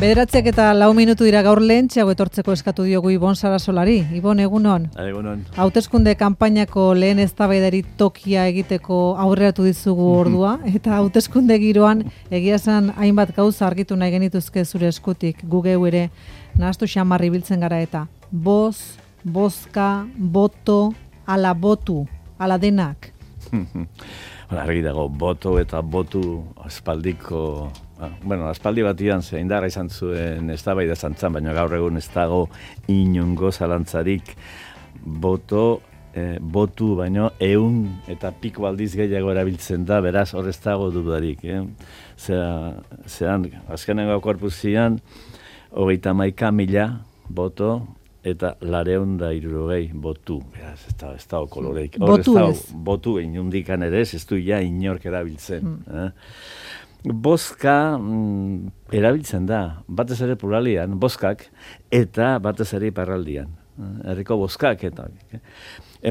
9:04 dira gaur lehentxeago etortzeko eskatu diogu Ibon Sarasolari. Ibon, egunon. Egunon. Hauteskunde kanpainako lehen eztabaidari tokia egiteko aurreratu dizugu ordua, eta hauteskunde giroan egia esan hainbat gauza argitu nahi genituzke zure eskutik, gu geu ere nahastu xamarri biltzen gara eta bozka, boto, ala botu, ala denak. Argi dago, boto eta botu aspaldiko, aspaldi batian ze indarra izan zuen eztabaida zantzan, baina gaur egun ez dago inongo zalantzarik botu baino 100 eta piko aldiz gehiago erabiltzen da, beraz hor ez dago dudarik. Zeran, azkenengo korpuzian, 31.000 boto, eta 260 botu. Beraz, ez dago koloreik. Botu inundikan ere ez du ja inork erabiltzen. Bozka erabiltzen da, batez ere pluralian, bozkak, eta batez ere iparraldian. Herriko bozkak eta...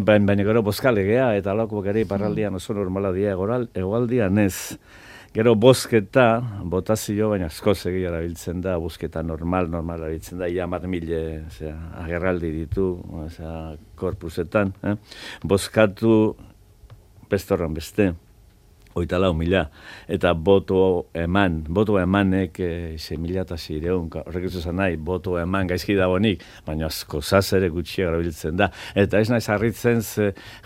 Baina gero bozkalegea eta alako ere iparraldian oso normala dira, egoaldian ez. Gero bozketa, botazio, baina askoz egia erabiltzen da, bozketa normal erabiltzen da, ia 10.000 agerraldi ditu, korpusetan. Bozkatu bestorran beste, 34.000, eta boto emanek 6.600, horrek ez nahi, boto eman gaizki dagoenik, baina asko ere gutxiago erabiltzen da. Eta ez naiz harritzen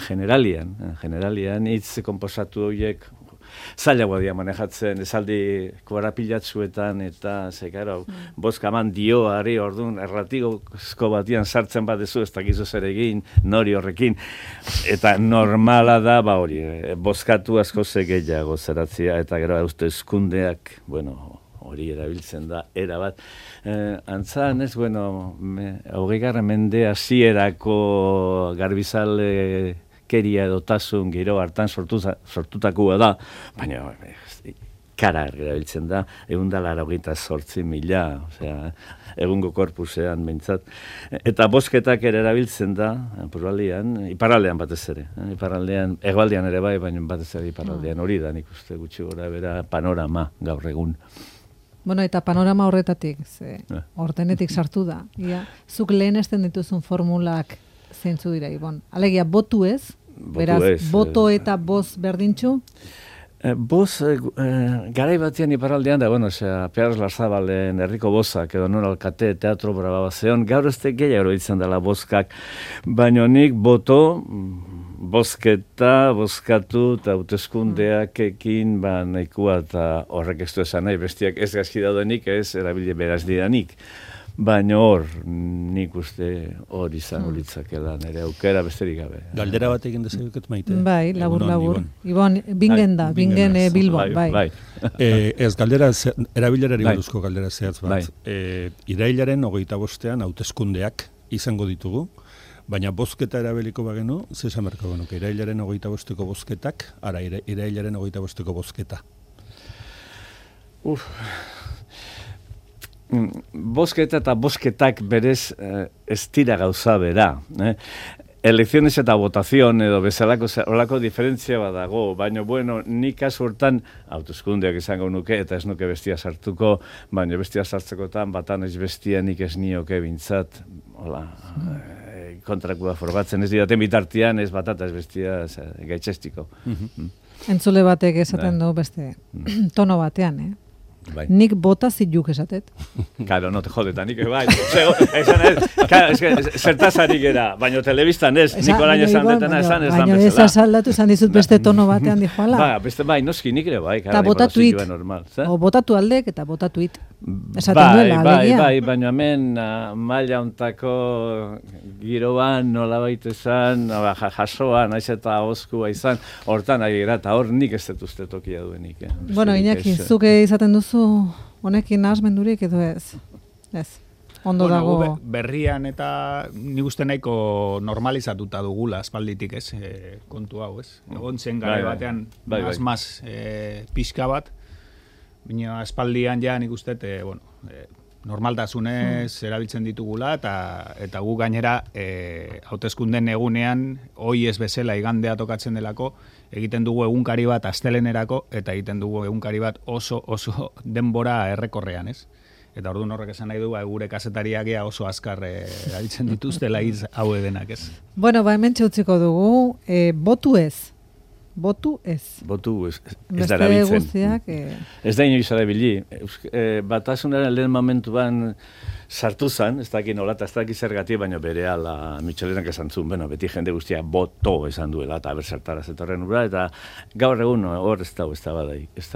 generalian hitz konposatu horiek zailagoa dira manejatzen, esaldi korapilatzuetan eta bozka eman dioari orduan erratiko batian sartzen badezu ez dakizu zer egin, nori horrekin, eta normala da hori, bozkatu asko gehiago zeratzea, eta gero hauteskundeak, hori erabiltzen da, erabat. Antzan ez, 20. mende hasierako garbizale keria edotasun giro hartan sortutakoa da, baina kara erabiltzen da, 188.000, egungo korpusean behintzat. Eta bozketak ere erabiltzen da, iparraldean batez ere. Hegoaldean ere bai, baina batez ere iparraldean hori da, nik uste gutxi gora bera panorama gaur egun. Eta panorama horretatik, ordenetik sartu da. Zuk lehenesten dituzun formulak zeintzu dira, Ibon. Alegia, botu ez? Beraz, boto eta boz berdintxu? Boz, garai batian iparraldean da, Pierre Larzabalen herriko bozak, edo non alkate teatro braba zeon, gaur ez gehiago ditzen dela bozkak, baina nik boto, bozkatu eta hauteskundeak ekin nahikoa eta horrek ez du esan nahi, bestiak ez gaizki daudenik, ez erabile beraz didanik. Baina hor, nik uste hor izango litzakela, nire aukera besterik gabe. Galdera bat egin dezaguket maite? Bai, labur. Ibon, bingen Bilbon, bai. Ez, galdera, erabilerari buruzko galdera zehatz bat. Irailaren 25ean hauteskundeak izango ditugu, baina bozketa erabiliko bagenu, zesan berko genuke, irailaren 25eko bozketak, irailaren 25eko bozketa. Bozketa eta bozketak berez ez dira gauza bera. Elecciones eta votación edo bezalako diferentzia badago, baina nik kasu hortan hauteskundeak izango nuke eta ez nuke bestia sartuko, baina bestia sartzekotan batan ez bestia nik ez nioke bintzat, kontrakua forbatzen ez didaten bitartian ez batata ez bestia gaitxestiko. Entzule batek esaten du beste tono batean, Nik bota zituk esatet. Claro, no te jodeta, nik bai. Zertazarik era, baina telebistan ez, Nikolain esan detena esan ez dan bezala. Baina ez asaldatu esan dizut beste tono batean dijoala. Bai, noski nik ere bai. Eta botatuit, o botatu aldek eta botatuit. Esaten duela, alegia. Bai, baina hemen maila ontako giroan nola baita esan, jasoan, naiz eta oskua izan, hortan ari gara, eta hor nik ez detuzte tokia duenik. Iñaki, zuke izaten duzu honekin nahasmendurik edo ez? Ez. Ondo dago. Berrian eta nik uste nahiko normalizatuta dugula aspalditik, ez? Kontu hau, ez? Egon zen gare batean maz pixka bat, baina aspaldian ja nik uste, normaltasunez erabiltzen ditugula eta gu gainera hauteskunden egunean hoi ez bezala igandea tokatzen delako egiten dugu egunkari bat astelenerako eta egiten dugu egunkari bat oso denbora errekorrean, ez? Eta orduan horrek esan nahi du, gure kazetariak oso azkar erabiltzen dituztela hitz hau edenak, ez? Bueno, hemen txautziko dugu, botu ez. Botu ez. Botu ez da erabiltzen. Guztiak, Ez da inoiz erabili. Batasunaren lehen momentuan sartu zen, ez dakit nola, eta ez dakit zergatik, baina bere ala Michelenak esan zuen, bueno, beti jende guztia boto esan duela, eta berzertara zetorren ura, eta gaur egun hor ez da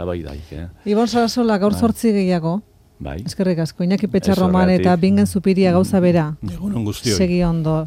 bai daik. Ibon Sarasola, gaur 8 gehiago. Bai. Eskerrik asko, Iñaki Petxarroman eta Bingen Zupiria gauza bera. Egunon guztioi. Segi ondo.